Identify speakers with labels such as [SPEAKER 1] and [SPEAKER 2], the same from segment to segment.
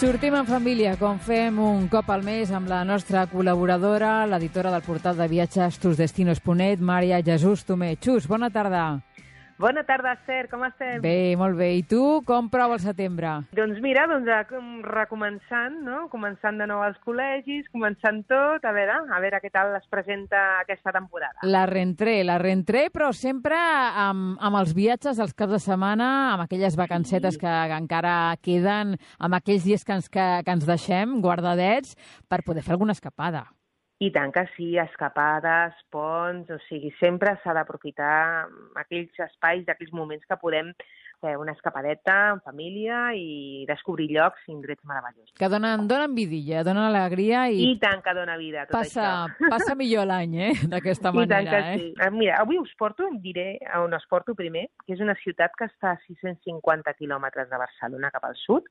[SPEAKER 1] Sortim en família, com fem un cop al mes amb la nostra col·laboradora, l'editora del portal de viatges tusdestinos.net, Maria Jesús Tomé. Xus, bona tarda.
[SPEAKER 2] Bona tarda, Esther, com estem?
[SPEAKER 1] Bé, molt bé. I tu, com prova el setembre?
[SPEAKER 2] Doncs mira, recomençant, no? Començant de nou als col·legis, començant tot, a veure què tal es presenta aquesta temporada.
[SPEAKER 1] La rentré, però sempre amb els viatges dels caps de setmana, amb aquelles vacancetes que encara queden, amb aquells dies que ens deixem guardadets per poder fer alguna escapada.
[SPEAKER 2] I tant que sí, escapades, ponts, o sigui, sempre s'ha d'aprofitar aquells espais, aquells moments que podem fer una escapadeta en família i descobrir llocs i indrets meravellosos.
[SPEAKER 1] Que donen vidilla, donen alegria i
[SPEAKER 2] tant que dona vida tot això.
[SPEAKER 1] Passa millor l'any, d'aquesta manera.
[SPEAKER 2] I tant que sí. Mira, avui diré on us porto primer, que és una ciutat que està a 650 quilòmetres de Barcelona cap al sud.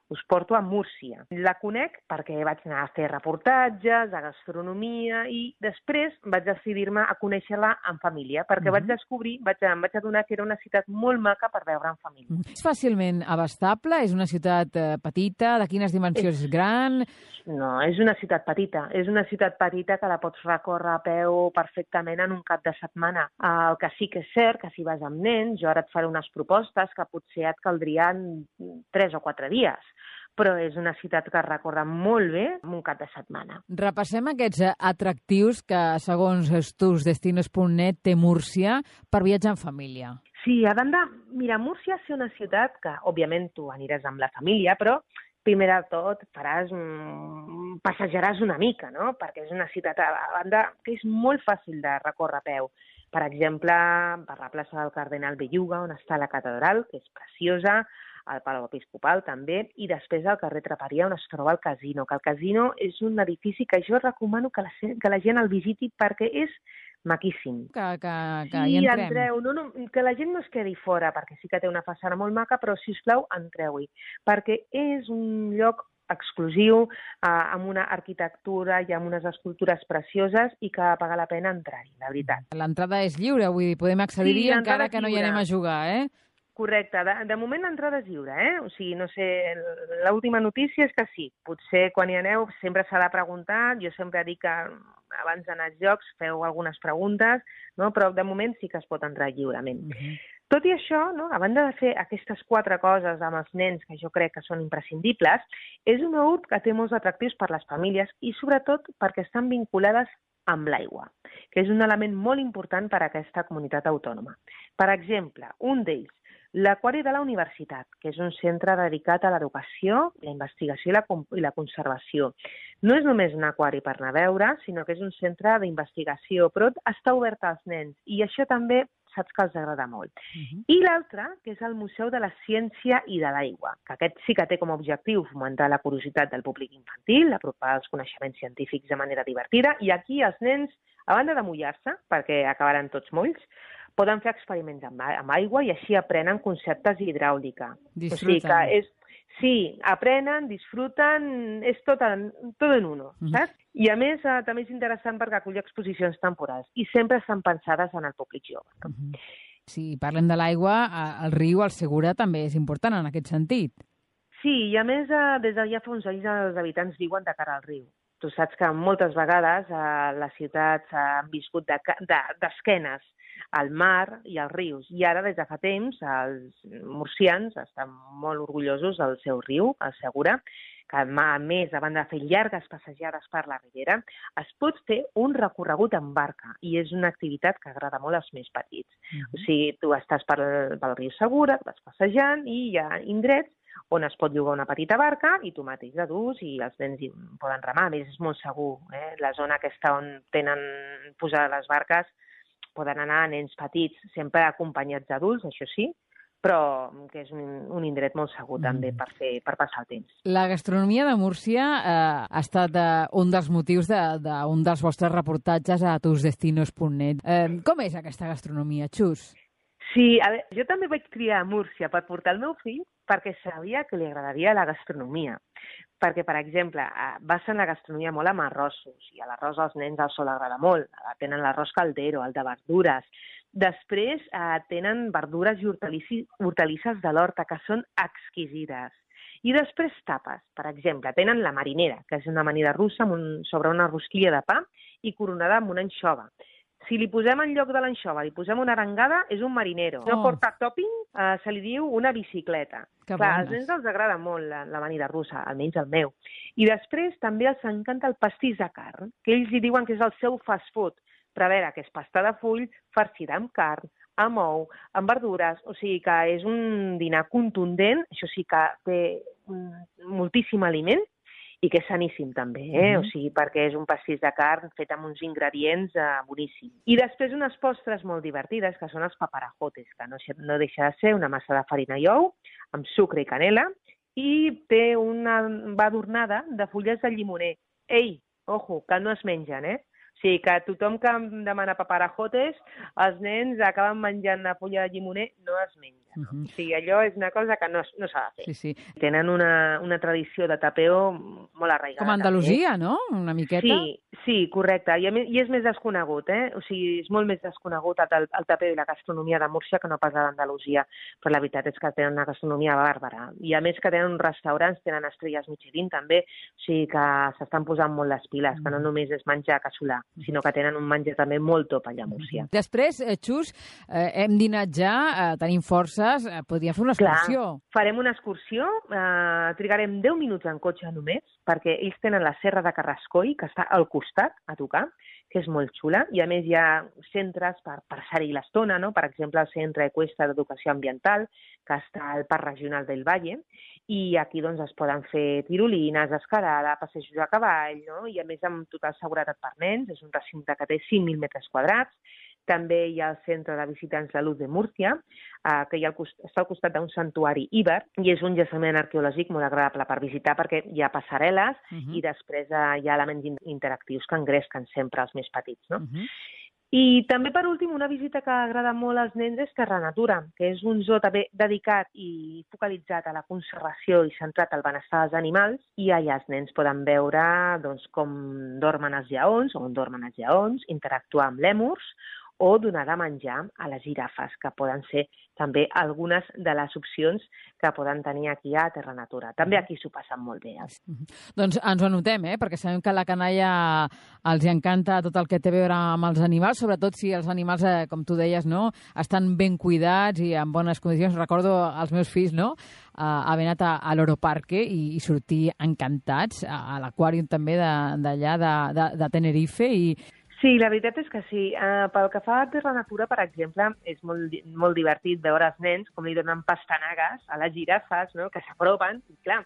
[SPEAKER 2] Us porto a Múrcia. La conec perquè vaig anar a fer reportatges, a gastronomia, i després vaig decidir-me a conèixer-la en família, perquè vaig descobrir, em vaig adonar que era una ciutat molt maca per veure en família.
[SPEAKER 1] És fàcilment abastable? És una ciutat petita? De quines dimensions és gran?
[SPEAKER 2] No, és una ciutat petita. És una ciutat petita que la pots recórrer a peu perfectament en un cap de setmana. El que sí que és cert, que si vas amb nens, jo ara et faré unes propostes que potser et caldrien 3 o 4 dies. Però és una ciutat que es recorre molt bé en un cap de setmana. Repassem aquests atractius que, segons tusdestinos.net, té Múrcia per viatjar en família. Sí, a banda, mira, Múrcia és una ciutat que, òbviament, tu aniràs amb la família, però primer de tot passejaràs una mica, no? Perquè és una ciutat, a banda, que és molt fàcil de recórrer a peu. Per exemple, per la plaça del Cardenal Belluga, on està la catedral, que és preciosa, al Palau Episcopal també, i després al carrer Traperia, on es troba el casino, que el casino és un edifici que jo recomano que la gent el visiti perquè és maquíssim. Que hi entrem. Entreu. No, que la gent no es quedi fora, perquè sí que té una façana molt maca, però, sisplau, entreu-hi, perquè és un lloc exclusiu, amb una arquitectura i amb unes escultures precioses i que paga la pena entrar-hi, la veritat. L'entrada és lliure, vull dir, podem accedir-hi encara que no hi anem a jugar, Correcte. De moment l'entrada és lliure, O sigui, no sé, l'última notícia és que sí. Potser quan hi aneu sempre s'ha de preguntar. Jo sempre dic que abans d'anar als llocs feu algunes preguntes, no? Però de moment sí que es pot entrar lliurement. Tot i això, no? A banda de fer aquestes 4 coses amb els nens, que jo crec que són imprescindibles, és una URB que té molts atractius per les famílies i sobretot perquè estan vinculades amb l'aigua, que és un element molt important per a aquesta comunitat autònoma. Per exemple, un d'ells, l'Aquari de la Universitat, que és un centre dedicat a l'educació, la investigació i la conservació. No és només un aquari per anar a veure, sinó que és un centre d'investigació, però està obert als nens, i això també saps que els agrada molt. I l'altre, que és el Museu de la Ciència i de l'Aigua, que aquest sí que té com a objectiu fomentar la curiositat del públic infantil, apropar els coneixements científics de manera divertida, i aquí els nens, a banda de mullar-se, perquè acabaran tots molls, poden fer experiments amb aigua i així aprenen conceptes d'hidràulica.
[SPEAKER 1] Disfruten.
[SPEAKER 2] O sigui que sí, aprenen, disfruten, és tot en uno, saps? I a més, també és interessant perquè acull exposicions temporals i sempre estan pensades en el públic jove.
[SPEAKER 1] Si parlem de l'aigua, el riu, el Segura, també és important en aquest sentit.
[SPEAKER 2] Sí, i a més, des de ja fa uns anys els habitants viuen de cara al riu. Tu saps que moltes vegades les ciutats han viscut d'esquenes al mar i als rius. I ara, des de fa temps, els murcians estan molt orgullosos del seu riu, el Segura, que a més, a banda de fer llargues passejades per la ribera, es pot fer un recorregut en barca i és una activitat que agrada molt als més petits. O sigui, tu estàs pel riu Segura, vas passejant i hi ha indrets on es pot llogar una petita barca i tu mateix d'adults i els nens hi poden remar. A més, és molt segur. La zona aquesta on tenen posades les barques poden anar nens petits, sempre acompanyats d'adults, això sí, però que és un indret molt segur també per passar el temps.
[SPEAKER 1] La gastronomia de Múrcia ha estat un dels motius d'un dels vostres reportatges a tusdestinos.net. Com és aquesta gastronomia, Xus?
[SPEAKER 2] Sí, a veure, jo també vaig triar a Múrcia per portar el meu fill perquè sabia que li agradaria la gastronomia. Perquè, per exemple, basen la gastronomia molt amb arrossos, i a l'arròs als nens els sol agradar molt. Tenen l'arròs caldero, el de verdures. Després tenen verdures i hortalisses de l'horta, que són exquisides. I després tapes, per exemple, tenen la marinera, que és una amanida russa sobre una rosquilla de pa i coronada amb una anxova. Si li posem en lloc de l'anxova, li posem una arengada, és un marinero. No porta topping, se li diu una bicicleta. Clar, als nens els agrada molt l'amanida russa, almenys el meu. I després també els encanta el pastís de carn, que ells hi diuen que és el seu fast food. Però a veure, que és pasta de full, farcida amb carn, amb ou, amb verdures, o sigui que és un dinar contundent, això sí que té moltíssim aliment, i que és saníssim també, o sigui, perquè és un pastís de carn fet amb uns ingredients boníssims. I després unes postres molt divertides, que són els paparajotes, que no deixa de ser una massa de farina i ou, amb sucre i canela, i té una adornada de fulles de llimoner. Ei, ojo, que no es mengen, O sigui, que tothom que em demana paparajotes, els nens acaben menjant la fulla de llimoner, no es menja. O sigui, allò és una cosa que no s'ha de fer.
[SPEAKER 1] Sí.
[SPEAKER 2] Tenen una tradició de tapeo molt arraigada.
[SPEAKER 1] Com a Andalusia, no? Una miqueta.
[SPEAKER 2] Sí, correcte. I és més desconegut, O sigui, és molt més desconegut el tapeo i la gastronomia de Múrcia que no pas a l'Andalusia. Però la veritat és que tenen una gastronomia bàrbara. I a més que tenen restaurants, tenen estrelles Michelin també, o sigui que s'estan posant molt les piles, que no només és menjar casolà, sinó que tenen un menjar també molt top allà a Múrcia.
[SPEAKER 1] Després, Xus, hem dinat ja, tenim forces, podríem fer una excursió.
[SPEAKER 2] Clar, farem una excursió, trigarem 10 minuts en cotxe només, perquè ells tenen la Serra de Carrascoll, que està al costat, a tocar, que és molt xula, i a més hi ha centres per passar-hi l'estona, no? Per exemple, el Centre Eqüestre d'Educació Ambiental, que està al Parc Regional del Valle, i aquí doncs es poden fer tirolines, escalada, passejos a cavall, no? I a més amb total seguretat per nens, és un recinte que té 5.000 metres quadrats. També hi ha el Centre de Visitants de Luz de Múrcia, que està al costat d'un santuari íber, i és un jaciment arqueològic molt agradable per visitar perquè hi ha passarel·les i després hi ha elements interactius que engresquen sempre els més petits, no? I també, per últim, una visita que agrada molt als nens és Terra Natura, que és un zoo també dedicat i focalitzat a la conservació i centrat al benestar dels animals, i allà els nens poden veure com dormen els lleons, o on dormen els lleons, interactuar amb lèmurs, o donar de menjar a les girafes, que poden ser també algunes de les opcions que poden tenir aquí a Terra Natura. També aquí s'ho passen molt bé.
[SPEAKER 1] Doncs ens ho anotem, perquè sabem que a la canalla els encanta tot el que té a veure amb els animals, sobretot si els animals, com tu deies, no, estan ben cuidats i en bones condicions. Recordo els meus fills, no?, haver anat a l'Oroparque i sortir encantats, a l'aquàrium també d'allà de Tenerife, i
[SPEAKER 2] sí, la veritat és que sí. Pel que fa a Terra Natura, per exemple, és molt divertit veure els nens com li donen pastanagues a les girafes, no?, que s'apropen. I clar,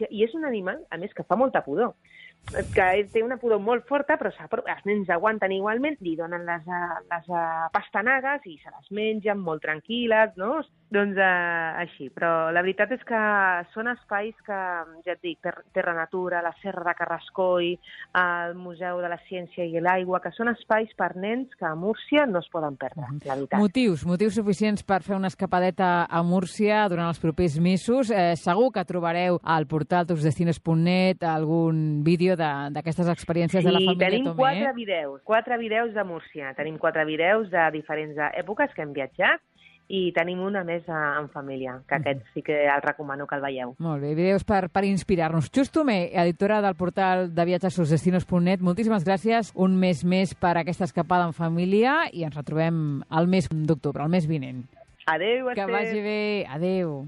[SPEAKER 2] i és un animal, a més, que fa molta pudor, que té una pudor molt forta, però els nens aguanten igualment, li donen les pastanagues i se les mengen molt tranquil·les, no? Doncs així. Però la veritat és que són espais que, ja et dic, Terra Natura, la Serra de Carrascoll, el Museu de la Ciència i l'Aigua, que són espais per nens que a Múrcia no es poden perdre, la veritat.
[SPEAKER 1] Motius suficients per fer una escapadeta a Múrcia durant els propers mesos. Segur que trobareu al portal tusdestinos.net algun vídeo d'aquestes experiències de la família Tomé.
[SPEAKER 2] Sí, tenim 4 vídeos de Múrcia. Tenim 4 vídeos de diferents èpoques que hem viatjat i tenim una més en família, que aquest sí que el recomano que el veieu.
[SPEAKER 1] Molt bé, vídeos per inspirar-nos. Xus Tomé, editora del portal de viatges tusdestinos.net, moltíssimes gràcies un mes més per aquesta escapada en família i ens retrobem al mes d'octubre, el mes vinent.
[SPEAKER 2] Adéu, Esther.
[SPEAKER 1] Que vagi bé. Adéu.